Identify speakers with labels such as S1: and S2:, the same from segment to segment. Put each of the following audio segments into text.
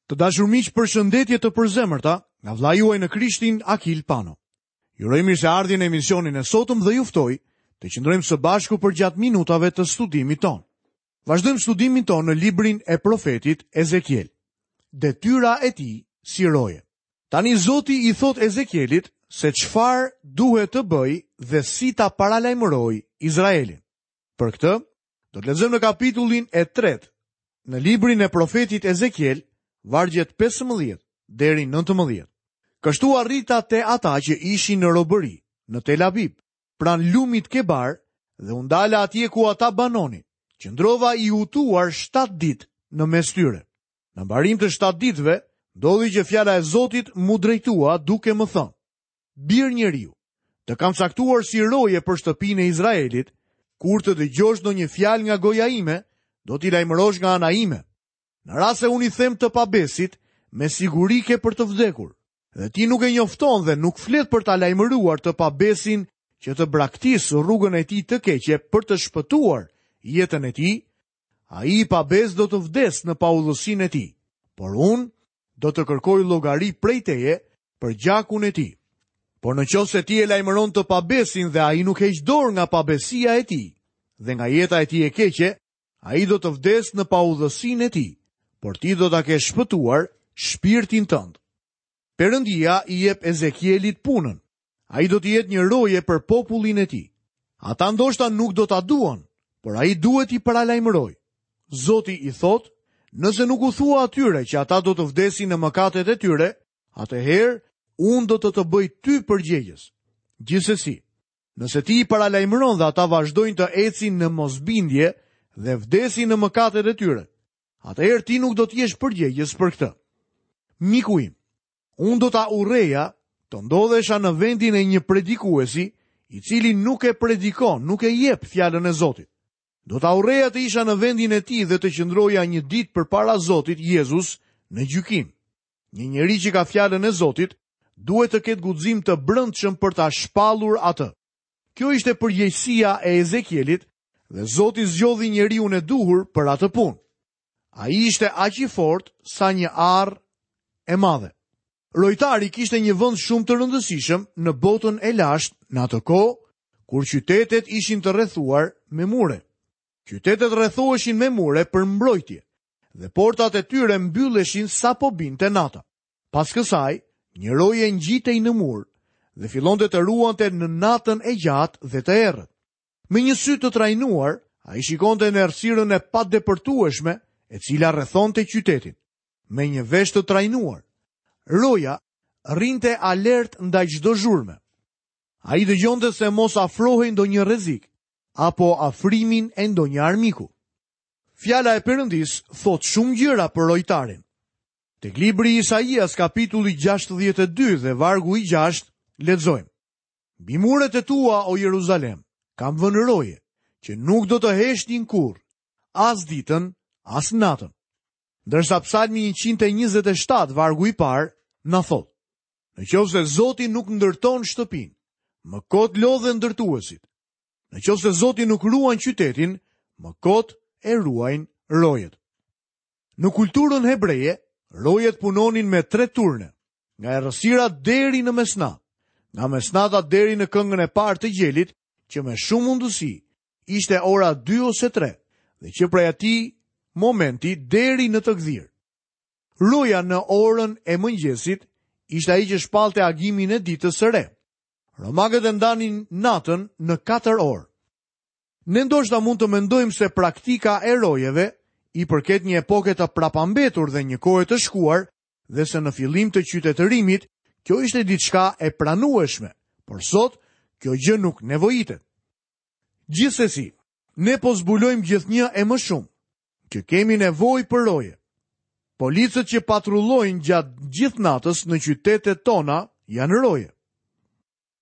S1: Të dashur miq, përshëndetje të përzemërta nga vëllai juaj në Krishtin Akil Pano. Ju uroj mirëseardhje në emisionin e sotëm dhe ju ftoj të qëndrojmë së bashku përgjatë minutave të studimit tonë. Vazhdojmë studimin tonë në librin e profetit Ezekiel. Detyra e tij si roje. Tani Zoti i thotë Ezekielit se çfarë duhet të bëjë dhe si ta paralajmërojë Izraelin. Për këtë, do të lexojmë në kapitullin e tretë, në librin e profetit Ezekiel, vargjet 15 deri 19. Kështu arrita te ata që ishin në robëri, në Tel Abib, pranë lumit Kebar dhe u ndala atje ku ata banonin. Qëndrova i hutuar 7 ditë në mes tyre. Në mbarim të 7 ditëve, ndodhi që fjala e Zotit m'u drejtua duke më thënë: Bir njeriu, të kam caktuar si roje për shtëpinë e Izraelit, kur të dëgjosh ndonjë fjalë nga goja ime, do t'i lajmërosh nga ana ime. Në rast se unë i them të pabesit, me siguri ke për të vdekur, dhe ti nuk e njofton dhe nuk flet për ta lajmëruar të pabesin që të braktisë rrugën e tij të keqe për të shpëtuar jetën e tij, ai i pabesë do të vdesë në paudhësinë e tij, por unë do të kërkoj llogari prej teje për gjakun e tij. Por në qoftë se ti e lajmëron të pabesin dhe ai nuk heq dorë nga pabesia e tij dhe nga jeta e tij e keqe, ai do të vdesë në paudhësinë e tij, por ti do ta kesh shpëtuar shpirtin tënd. Perëndia i jep Ezekielit punën. Ai do të jetë një roje për popullin e tij. Ata ndoshta nuk do ta duan, por ai duhet t'i paralajmërojë. Zoti i thotë, nëse nuk u thua atyre që ata do të vdesin në mëkatet e tyre, atëherë unë do të të bëj ty përgjegjës. Gjithsesi, nëse ti i paralajmëron dhe ata vazhdojnë të ecin në mosbindje dhe vdesin në mëkatet e tyre, atëherë ti nuk do të jesh përgjegjës për këtë. Miku im, Unë do ta urreja të ndodhesha në vendin e një predikuesi, i cili nuk e predikon, nuk e jep fjalën e Zotit. Do ta urreja të isha në vendin e tij dhe të qëndroja një ditë përpara Zotit Jezus në gjykim. Një njeri që ka fjalën e Zotit duhet të ketë guxim të brendshëm për ta shpallur atë. Kjo ishte përgjegjësia e Ezekielit dhe Zoti zgjodhi njeriun e duhur për atë punë. Ai ishte aq i fortë sa një arrë e madhe. Rojtari kishte një vend shumë të rëndësishëm në botën e lashtë në atë kohë kur qytetet ishin të rrethuar me mure. Qytetet rrethoheshin me mure për mbrojtje dhe portat e tyre mbylleshin sapo binte nata. Pas kësaj, një roje ngjitej në mur dhe fillonte të ruante në natën e gjatë dhe të errët. Me një sy të trajnuar, ai shikonte në errësirën e padepërtueshme, e cila rrethonte qytetin. Me një vesh të trajnuar, roja rrinte alert ndaj çdo zhurme. Ai dëgjonte se mos afrohej ndonjë rrezik apo afrimin e ndonjë armiku. Fjala e Perëndisë thotë shumë gjëra për rojtarin. Tek libri i Isaias kapitulli 62 dhe vargu i 6 lexojmë. Mbi muret e tua, o Jeruzalem, kam vënë roje, që nuk do të heshtin kurrë, as ditën, as natën. Ndërsa psalmi 127, vargu i parë, na thotë, në qoftë se Zoti nuk ndërton shtëpinë, më kot lodhen ndërtuesit. Në qoftë se Zoti nuk ruan qytetin, më kot e ruajnë rojet. Në kulturën hebreje, rojet punonin me tre turne, nga errësira deri në mesnatë, nga mesnata deri në këngën e parë të gjelit, që me shumë mundësi ishte ora 2 ose 3, dhe që prej atij momenti deri në të gdhirë. Roja në orën e mëngjesit ishte ai që shpallte agimin e ditës së re. Romakët e ndanin natën në 4 orë. Ne ndoshta mund të mendojmë se praktika e rojeve i përket një epoke të prapambetur dhe një kohe të shkuar dhe se në fillim të qytetërimit kjo ishte diçka e pranueshme, por sot kjo gjë nuk nevojitet. Gjithsesi, ne po zbulojmë gjithnjë e më shumë që kemi nevojë për roje. Policët që patrullojnë gjatë gjithë natës në qytetet tona janë roje.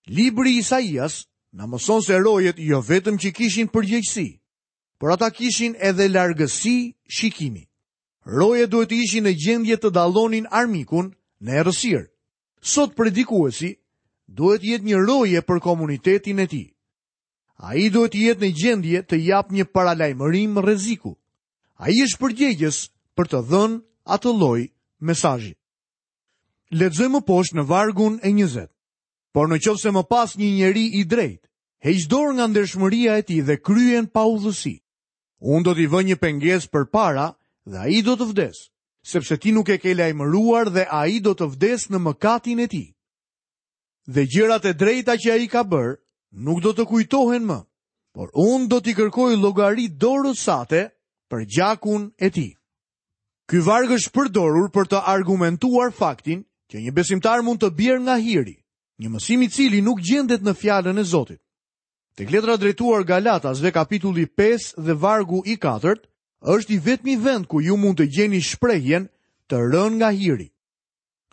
S1: Libri i Isaias na mëson se rojet jo vetëm që kishin përgjegjësi, por ata kishin edhe largësi shikimi. Rojet duhet të ishin në gjendje të dallonin armikun në errësirë. Sot predikuesi duhet të jetë një roje për komunitetin e tij. Ai duhet të jetë në gjendje të japë një paralajmërim rreziku. Ai është përgjegjës për të dhënë atë lloj. mesazhit. Lexojmë më poshtë në vargun e 20. Por në qoftë se më pas një njeri i drejtë, heq dorë nga ndershmëria e tij dhe kryen paudhësi. Unë do t'i vë një pengesë përpara dhe ai do të vdesë, sepse ti nuk e ke lajmëruar dhe ai do të vdesë në mëkatin e tij. Dhe gjërat e drejta që ai ka bërë nuk do të kujtohen më, por unë do t'i kërkoj llogari dorës sate për gjakun e tij. Ky varg është përdorur për të argumentuar faktin që një besimtar mund të bjerë nga hiri, një mësim i cili nuk gjendet në fjalën e Zotit. Tek letra drejtuar Galatasve kapitulli 5 dhe vargu i 4 është i vetmi vend ku ju mund të gjeni shprehjen të rënë nga hiri.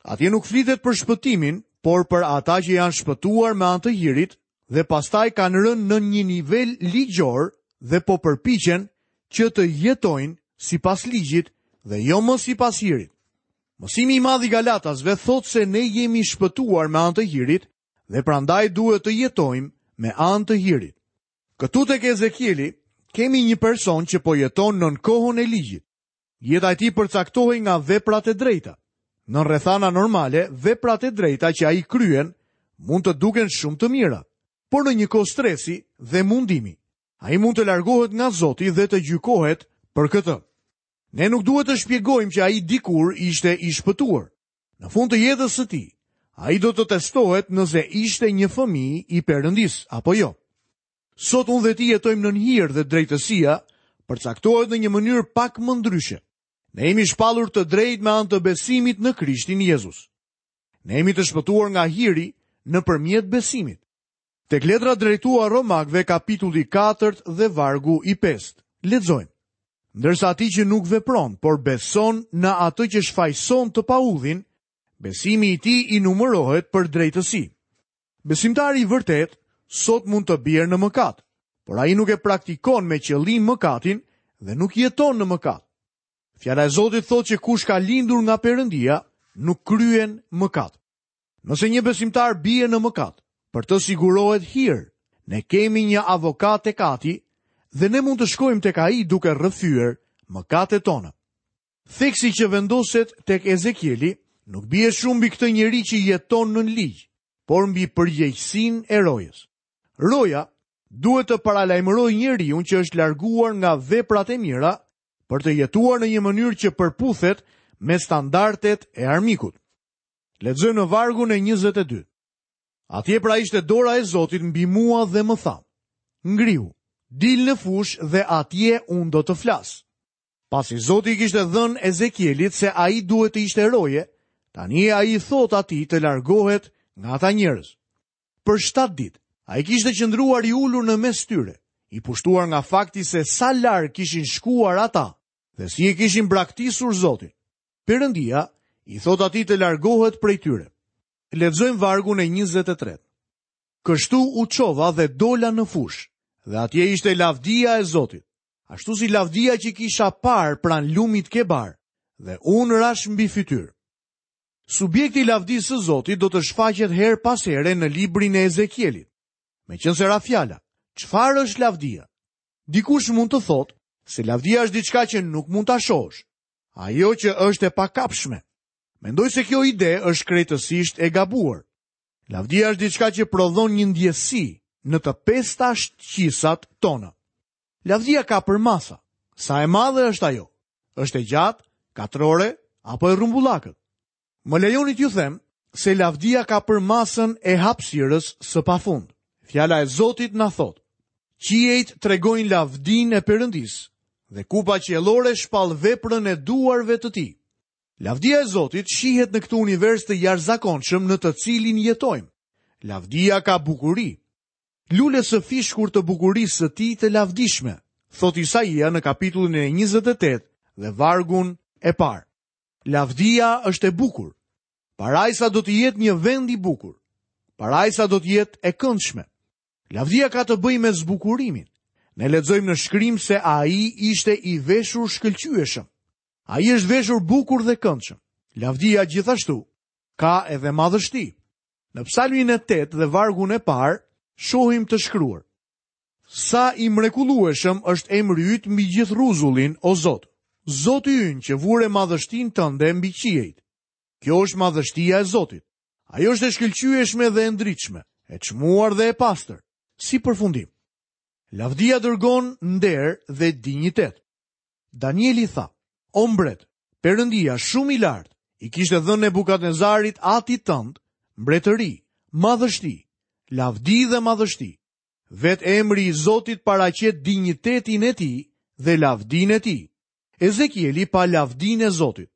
S1: Atje nuk flitet për shpëtimin, por për ata që janë shpëtuar me anë të hirit dhe pastaj kanë rënë në një nivel ligjor dhe po përpiqen që të jetojnë sipas ligjit dhe jo më sipas hirit. Mësimi i madh i Galatasve thotë se ne jemi shpëtuar me anë të hirit dhe prandaj duhet të jetojmë me anë të hirit. Këtu tek Ezekieli kemi një person që po jeton nën kohën e ligjit. Jeta e tij përcaktohej nga veprat e drejta. Nën rrethana normale, veprat e drejta që ai kryen mund të duken shumë të mira, por në një kohë stresi dhe mundimi, ai mund të largohet nga Zoti dhe të gjykohet për këtë. Ne nuk duhet të shpjegojmë që ai dikur ishte i shpëtuar. Në fund të jetës së tij, ai do të testohet nëse ishte një fëmijë i Perëndisë apo jo. Sot unë dhe ti jetojmë nën hir dhe drejtësia përcaktohet në një mënyrë pak më ndryshe. Ne jemi shpallur të drejtë me anë të besimit në Krishtin Jezus. Ne jemi të shpëtuar nga hiri nëpërmjet besimit. Tek letra drejtuar Romakëve kapitulli 4 dhe vargu i 5. Lexojmë. Ndërsa atij që nuk vepron, por beson në atë që shfajëson të paudhin, besimi i tij i numërohet për drejtësi. Besimtari i vërtetë sot mund të bjerë në mëkat, por ai nuk e praktikon me qëllim mëkatin dhe nuk jeton në mëkat. Fjala e Zotit thotë që kush ka lindur nga Perëndia nuk kryen mëkat. Nëse një besimtar bie në mëkat, për të sigurohet hir. Ne kemi një avokat tek Ati dhe ne mund të shkojmë tek ai duke rrëfyer mëkatet tona. Theksi që vendoset tek Ezekieli nuk bie shumë mbi këtë njeri që jeton nën ligj, por mbi përgjegjësinë e rojës. Roja duhet të paralajmërojë njeriun që është larguar nga veprat e mira për të jetuar në një mënyrë që përputhet me standardet e armikut. Lexojmë në vargun e 22. Atje pra ishte dora e Zotit mbi mua dhe më tha: Ngrihu, dil në fushë dhe atje unë do të flas. Pasi Zoti i kishte thënë Ezekielit se ai duhet të ishte roje, tani ai i thotë atij të largohet nga ata njerëz. Për 7 ditë, ai kishte qëndruar i ulur në mes tyre, i pushtuar nga fakti se sa larg kishin shkuar ata dhe si e kishin braktisur Zotin. Perëndia i thotë atij të largohet prej tyre. Lexojmë vargun e 23. Kështu u çova dhe dola në fushë, dhe atje ishte lavdia e Zotit. Ashtu si lavdia që kisha parë pranë lumit Kebar, dhe unë rashë mbi fytyrë. Subjekti i lavdisë së Zotit do të shfaqet herë pas here në librin e Ezekielit. Meqenëse ra fjala, çfarë është lavdia? Dikush mund të thotë se lavdia është diçka që nuk mund ta shohësh. Ajo që është e pakapshme. Mendoj se kjo ide është krejtësisht e gabuar. Lavdia është diçka që prodhon një ndjesi në të pesta shqisat tona. Lavdia ka përmasa. Sa e madhe është ajo? Është e gjatë, katrore apo e rrumbullakët? Më lejoni t'ju them se lavdia ka përmasën e hapësirës së pafund. Fjala e Zotit na thotë: Qiejt tregojnë lavdinë e Perëndisë dhe kupa qiellore shpall veprën e duarve të tij. Lavdia e Zotit shihet në këtë univers të jashtëzakonshëm në të cilin jetojmë. Lavdia ka bukuri. Lules së fishkur të bukurisë së tij të lavdishme, thotë Isaia në kapitullin e 28 dhe vargun e parë. Lavdia është e bukur. Parajsa do të jetë një vend i bukur. Parajsa do të jetë e këndshme. Lavdia ka të bëjë me zbukurimin. Ne lexojmë në shkrim se ai ishte i veshur shkëlqyeshëm. Ai është veshur bukur dhe këndshëm. Lavdia gjithashtu ka edhe madhështi. Në psalmin e 8 dhe vargun e parë, shohim të shkruar. Sa i mrekullueshëm është emri yt mbi gjithë rruzullin, o Zot. Zoti ynë që vure madhështinë tënde mbi qiejt. Kjo është madhështia e Zotit. Ajo është e shkëlqyeshme dhe e ndritshme, e çmuar dhe e pastër. Si përfundim, lavdia dërgon nder dhe dinjitet. Danieli tha, o mbret, Perëndia shumë i lartë, i kishte dhënë Nebukadnezarit atit tënd, mbretëri, madhështi, lavdi dhe madhështi. Vetë emri i Zotit paraqet dinjitetin e tij dhe lavdinë e tij. Ezekieli pa lavdinë e Zotit.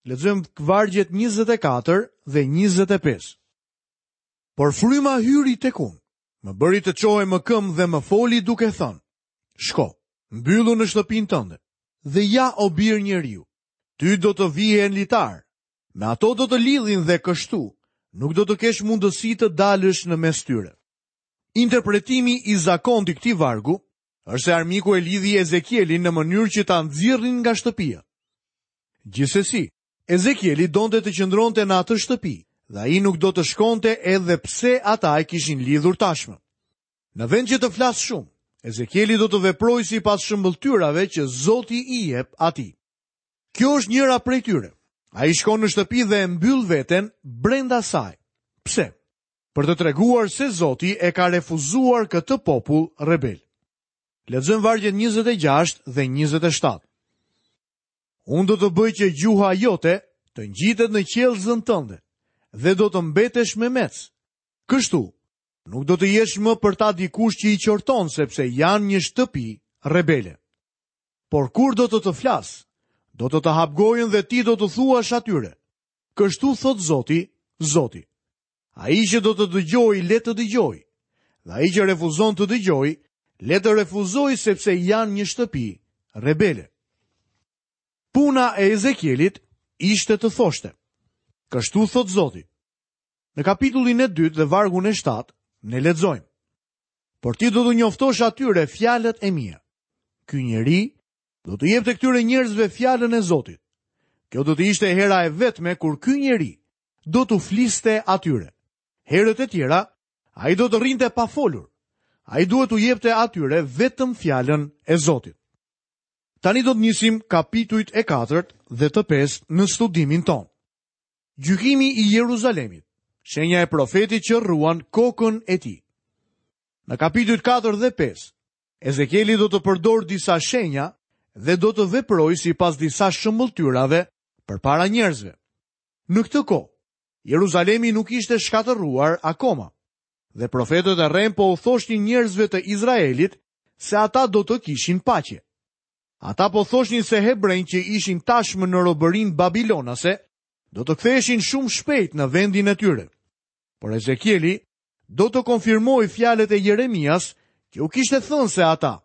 S1: Lexojmë vargjet 24 dhe 25. Por fryma hyri tek unë, më bëri të çohem më këmbë dhe më foli duke thënë, shko, mbyllu në shtëpinë tënde, dhe ja o bir njeriu, ty do të vihen litarë, me ato do të lidhin dhe kështu, nuk do të kesh mundësi të dalësh në mes tyre. Interpretimi i zakontë i këtij vargu është se armiku e lidhi Ezekielin në mënyrë që ta nxirrnin nga shtëpia. Gjithsesi, Ezekieli donte të qëndronte në atë shtëpi dhe ai nuk do të shkonte edhe pse ata e kishin lidhur tashmë. Në vend që të flasë shumë, Ezekieli do të veprojë sipas shëmbëlltyrave që Zoti i jep atij. Kjo është njëra prej tyre. Ai shkon në shtëpi dhe e mbyll veten brenda saj. Pse? Për të treguar se Zoti e ka refuzuar këtë popull rebel. Lexojmë vargjet 26 dhe 27. Unë do të bëj që gjuha jote të ngjitet në qiellzën tënde dhe do të mbetesh memec. Kështu, nuk do të jesh më për ta dikush që i qorton sepse janë një shtëpi rebele. Por kur do të të flas, do të të hap gojën dhe ti do t'u thuash atyre. Kështu thotë Zoti, Zoti. Ai që do të dëgjojë, le të dëgjojë. Dhe ai që refuzon të dëgjojë, le të refuzojë sepse janë një shtëpi rebele. Puna e Ezekielit ishte të thoshte. Kështu thotë Zoti. Në kapitullin e dytë dhe vargun e 7, ne lexojmë. Por ti do t'u njoftosh atyre fjalët e mia. Ky njeri do t'u jepte këtyre njerëzve fjalën e Zotit. Kjo do të ishte hera e vetme kur ky njeri do t'u fliste atyre. Herët e tjera, ai do të rrinte pa folur. Ai duhet t'u jepte atyre vetëm fjalën e Zotit. Tani do të nisim kapitujt e katërt dhe të pestë në studimin tonë. Gjykimi i Jeruzalemit, shenja e profetit që rruan kokën e tij. Në kapitujt 4 dhe 5, Ezekieli do të përdorë disa shenja dhe do të veprojë sipas disa shëmbëlltyrave përpara njerëzve. Në këtë kohë, Jeruzalemi nuk ishte shkatërruar akoma. Dhe profetët e rremë po u thoshnin njerëzve të Izraelit se ata do të kishin paqe. Ata po thoshnin se hebrenjtë që ishin tashmë në robërinë babilonase do të ktheheshin shumë shpejt në vendin e tyre. Por Ezekieli do të konfirmojë fjalët e Jeremias që u kishte thënë se ata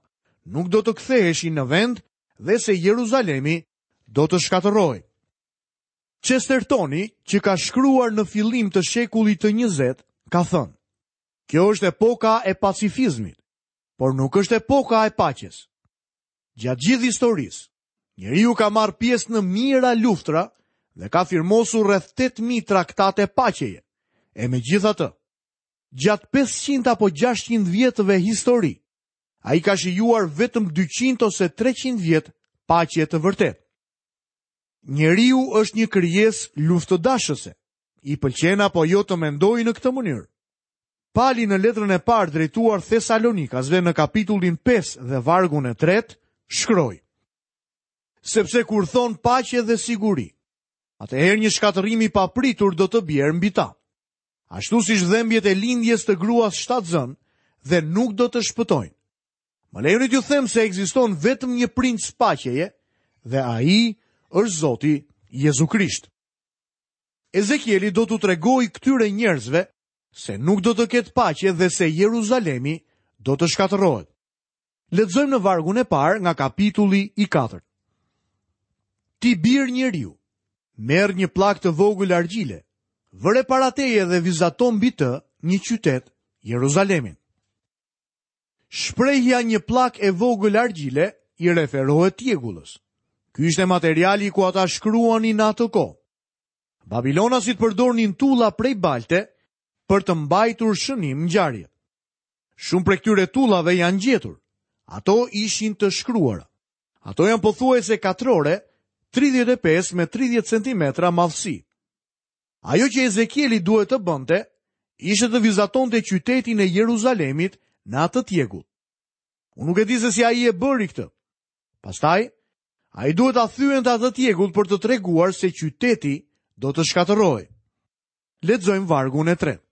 S1: nuk do të ktheheshin në vend dhe se Jeruzalemi do të shkatërrohej. Chestertoni, që ka shkruar në fillim të shekullit të 20, ka thënë: Kjo është epoka e pacifizmit, por nuk është epoka e paqes. Gjatë gjithë historisë, njeriu ka marrë pjesë në mijëra luftra dhe ka firmosur rreth 8000 traktate paqeje. E megjithatë, gjatë 500 apo 600 vjetëve histori, ai ka shijuar vetëm 200 ose 300 vjet paqe të vërtetë. Njeriu është një krijesë luftëdashëse. I pëlqen apo jo të mendojë në këtë mënyrë. Pali në letrën e parë drejtuar Thesalonikasve në kapitullin 5 dhe vargun e tretë, shkroi. Sepse kur thonë paqe dhe siguri, atëherë një shkatërrim i papritur do të bjerë mbi ta. Ashtu siç dhembjet e lindjes të gruas shtatzënë dhe nuk do të shpëtojnë. Më lejoni t'ju them se ekziston vetëm një princ paqeje dhe ai është Zoti Jezu Krisht. Ezekieli do t'u tregojë këtyre njerëzve se nuk do të ketë paqe dhe se Jeruzalemi do të shkatërrohet. Lexojmë në vargun e parë nga kapitulli i katërt. Ti bir njeriu, merr një pllakë të vogël argjile, vëre para teje dhe vizato mbi të një qytet, Jeruzalemin. Shprehja një pllakë e vogël argjile i referohet tjegullës. Ky ishte materiali ku ata shkruanin në atë kohë. Babilonasit përdornin tulla prej balte për të mbajtur shënim ngjarjet. Shumë prej këtyre tullave janë gjetur. Ato ishin të shkruara. Ato janë pothuajse katrore, 35 me 30 cm madhësi. Ajo që Ezekieli duhet të bënte, ishte të vizatonte qytetin e Jeruzalemit në atë tjegull. Unë nuk e di se si ai e bëri këtë. Pastaj, ai duhet ta thyente atë tjegull për të treguar se qyteti do të shkatërrohej. Lexojmë vargun e tretë.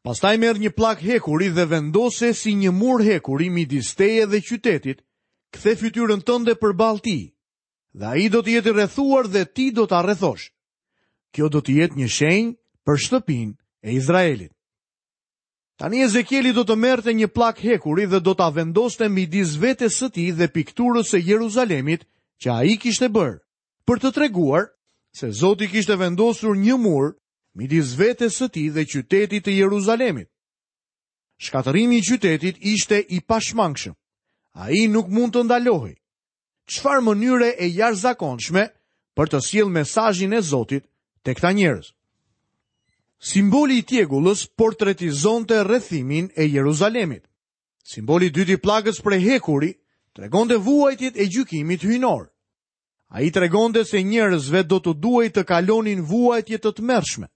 S1: Pastaj merr një pllakë hekuri dhe vendose si një mur hekuri midis teje dhe qytetit, kthe fytyrën tënde përballë tij, dhe ai do të jetë i rrethuar dhe ti do ta rrethosh. Kjo do të jetë një shenjë për shtëpinë e Izraelit. Tani Ezekieli do të merrte një pllakë hekuri dhe do ta vendoste midis vetes së tij dhe pikturës së Jeruzalemit që ai kishte bërë, për të treguar se Zoti kishte vendosur një mur midis vetes së tij dhe qytetit të Jeruzalemit. Shkatërrimi i qytetit ishte i pashmangshëm. Ai nuk mund të ndalohej. Çfarë mënyre e jashtëzakonshme për të sjellë mesazhin e Zotit te këta njerëz. Simboli i tjegullës portretizonte rrethimin e Jeruzalemit. Simboli i dytë i pllakës prej hekuri tregonte vuajtjet e gjykimit hyjnor. Ai tregonte se njerëzve do t'u duhej të kalonin vuajtje të tmerrshme.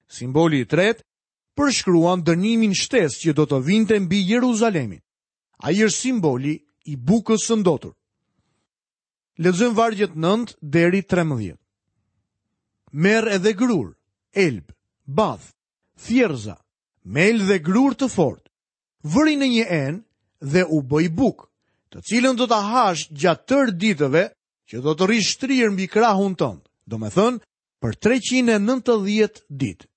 S1: Simboli i tretë përshkruan dënimin shtesë që do të vinte mbi Jeruzalemin. Ai është simboli i bukës së ndotur. Lexojmë vargjet 9 deri 13. Merr edhe grurë, elb, bath, thjerrëza, mel dhe grurë të fortë. Vëri në një enë dhe u bëj bukë, të cilën do ta hash gjatë tërë ditëve që do të rrish shtrirë mbi krahun tënd, domethënë për 390 ditë.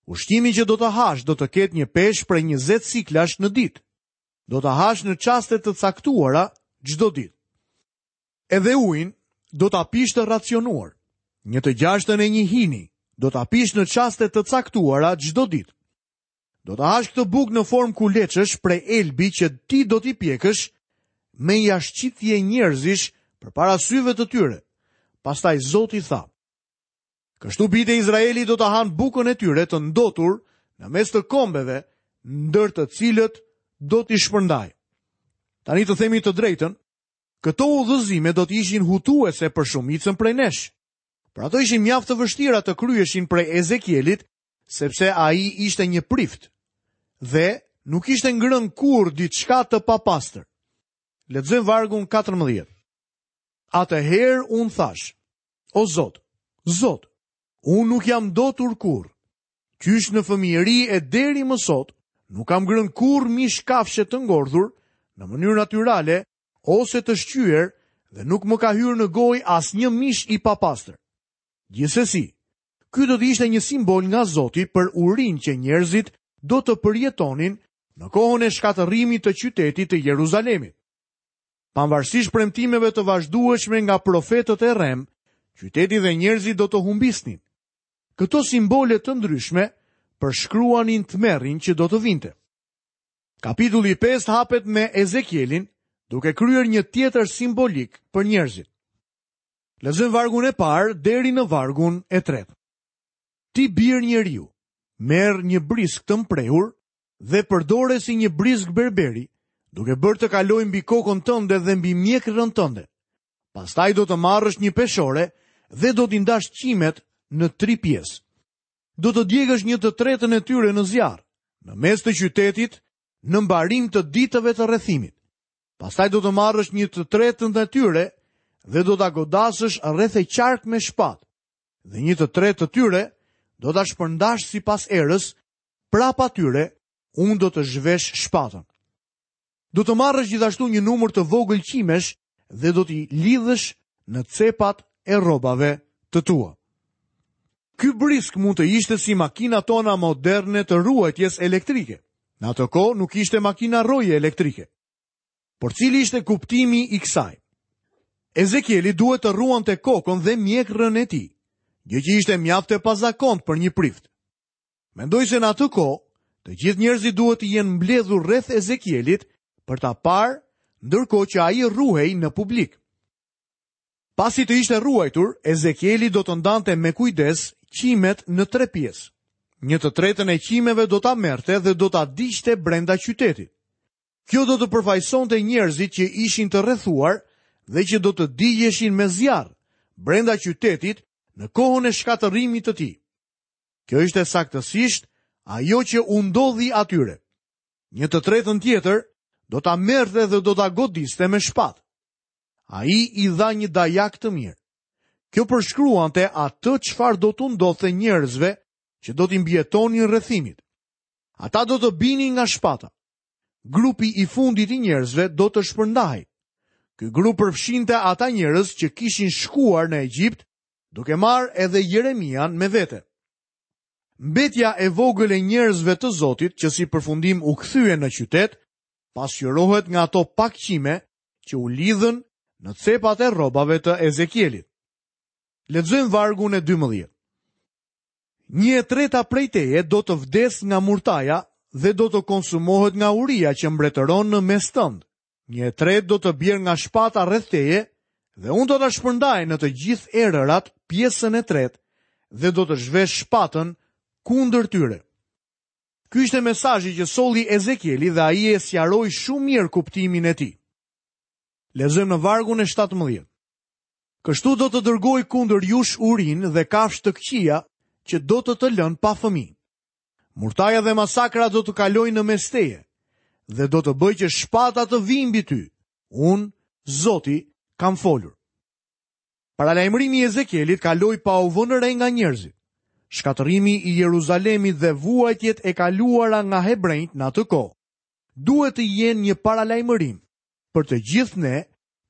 S1: Ushqimi që do të hash do të ketë një peshë prej 20 siklash në ditë. Do ta hash në çaste të caktuara çdo ditë. Edhe ujin do ta pish të racionuar. Një të gjashtën e një hini do ta pish në çaste të caktuara çdo ditë. Do ta hash këtë bukë në formë kuleçësh prej elbi që ti do t'i pjekësh me jashtëqitje njerëzish përpara syve të tyre. Pastaj Zoti tha: Kështu bijtë e Izraelit do ta hanë bukën e tyre të ndotur në mes të kombeve, ndër të cilët do t'i shpërndaj. Tani të themi të drejtën, këto udhëzime do të ishin hutuese për shumicën prej nesh. Por ato ishin mjaft të vështira të kryheshin prej Ezekielit, sepse ai ishte një prift dhe nuk kishte ngrënë kurrë diçka të papastër. Lexojmë vargun 14. Atëherë unë thashë, O Zot, Zot, unë nuk jam ndotur kurrë. Qysh në fëmijëri e deri më sot, nuk kam ngrënë kurrë mish kafshe të ngordhur në mënyrë natyrale ose të shqyer dhe nuk më ka hyrë në gojë asnjë mish i papastër. Gjithsesi, ky do të ishte një simbol nga Zoti për urinë që njerëzit do të përjetonin në kohën e shkatërrimit të qytetit të Jeruzalemit. Pavarësisht premtimeve të vazhdueshme nga profetët e rremë, qyteti dhe njerëzit do të humbisnin. Këto simbole të ndryshme përshkruanin tmerrin që do të vinte. Kapitulli i 5 hapet me Ezekielin, duke kryer një tjetër simbolikë për njerëzit. Lexojmë vargun e parë deri në vargun e tretë. Ti bir njeriu, merr një brisk të mprehur dhe përdore si një brisk berberi, duke bërë të kalojë mbi kokën tënde dhe mbi mjekrën tënde. Pastaj do të marrësh një peshore dhe do t'i ndash qimet në tri pjesë. Do të djegësh një të tretën e tyre në zjarr, në mes të qytetit, në mbarim të ditëve të rrethimit. Pastaj do të marrësh një të tretën e tyre dhe do ta godasësh rreth e qark me shpatë. Dhe një të tretë të tyre do ta shpërndash sipas erës prapa tyre unë do të zhvesh shpatën. Do të marrësh gjithashtu një numër të vogël qimesh dhe do t'i lidhësh në cepat e rrobave të tua. Ky brisk mund të ishte si makinat tona moderne të rruajtjes elektrike. Në atë kohë nuk ishte makina rroje elektrike. Por cili ishte kuptimi i kësaj? Ezekieli duhet të rruante kokën dhe mjekrën e tij, gjë që ishte mjaft e pazakontë për një prift. Mendoj se në atë kohë, të gjithë njerëzit duhet të jenë mbledhur rreth Ezekielit për ta parë, ndërkohë që ai rruhej në publik. Pasi të ishte rruajtur, Ezekieli do të ndante me kujdes qimet në tre pjesë. Një të tretën e qimeve do ta merrte dhe do ta digjte brenda qytetit. Kjo do të përfaqësonte njerëzit që ishin të rrethuar dhe që do të digjeshin me zjarr brenda qytetit në kohën e shkatërrimit të tij. Kjo ishte saktësisht ajo që u ndodhi atyre. Një të tretën tjetër do ta merrte dhe do ta godiste me shpatë. Ai i dha një dajak të mirë. Kjo përshkruante atë çfarë do t'u ndodhte njerëzve që do t'i mbijetonin rrethimit. Ata do të binin nga shpata. Grupi i fundit i njerëzve do të shpërndahej. Ky grup përfshinte ata njerëz që kishin shkuar në Egjipt, duke marrë edhe Jeremian me vete. Mbetja e vogël e njerëzve të Zotit që si përfundim u kthyen në qytet, pasqyrohet nga ato pak qime që u lidhën në cepat e rrobave të Ezekielit. Lexojmë vargun e 12. Një e treta prej teje do të vdesë nga murtaja dhe do të konsumohet nga uria që mbretëron në mes tënd. Një e tretë do të bjerë nga shpata rreth teje dhe unë do ta shpërndaj në të gjithë erërat pjesën e tretë dhe do të zhvesh shpatën kundër tyre. Ky ishte mesazhi që solli Ezekieli dhe ai e sqaroi shumë mirë kuptimin e tij. Lexojmë në vargun e 17. Kështu do të dërgoj kundër jush urinë dhe kafshë të këqija që do të të lënë pa fëmijë. Murtaja dhe masakra do të kalojnë në mes teje dhe do të bëj që shpata të vijë mbi ty. Unë, Zoti, kam folur. Paralajmërimi i Ezekielit kaloi pa u vënë re nga njerëzit. Shkatërrimi i Jeruzalemit dhe vuajtjet e kaluara nga hebrenjtë në atë kohë duhet të jenë një paralajmërim për të gjithë ne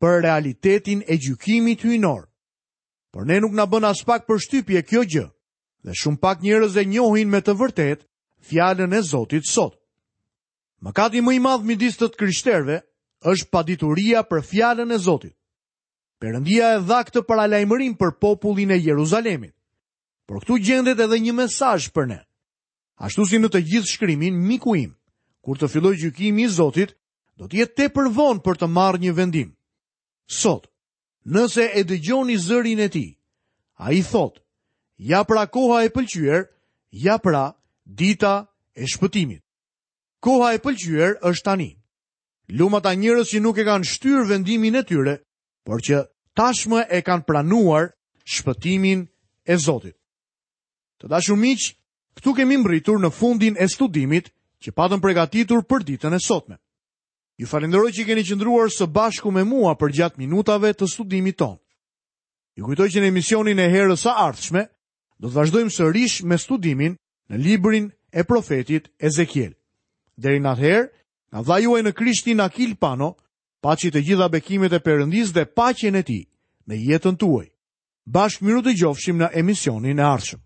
S1: për realitetin e gjykimit hyjnor. Por ne nuk na bën aspak përshtypje kjo gjë dhe shumë pak njerëz e njohin me të vërtetë fjalën e Zotit sot. Mëkati më i madh midis të krishterëve është padituria për fjalën e Zotit. Perëndia e dha këtë paralajmërim për popullin e Jeruzalemit. Por këtu gjendet edhe një mesazh për ne. Ashtu si në të gjithë shkrimin, miku im, kur të fillojë gjykimi i Zotit, do të jetë tepër vonë për të marrë një vendim. Sot, nëse e dëgjoni zërin e tij, ai thotë, ja pra koha e pëlqyer, ja pra dita e shpëtimit. Koha e pëlqyer është tani. Lum ata njerëz që nuk e kanë shtyrë vendimin e tyre, por që tashmë e kanë pranuar shpëtimin e Zotit. Të dashur miq, këtu kemi mbërritur në fundin e studimit që patëm përgatitur për ditën e sotme. Ju falënderoj që keni qëndruar së bashku me mua përgjatë minutave të studimit tonë. Ju kujtoj që në emisionin e herës së ardhshme do të vazhdojmë sërish me studimin në librin e profetit Ezekiel. Deri në atëherë, nga vëllai juaj në Krishtin Akil Pano, paçi të gjitha bekimet e Perëndisë dhe paqen e tij në jetën tuaj. Bashkë mirudëgjofshim në emisionin e ardhshëm.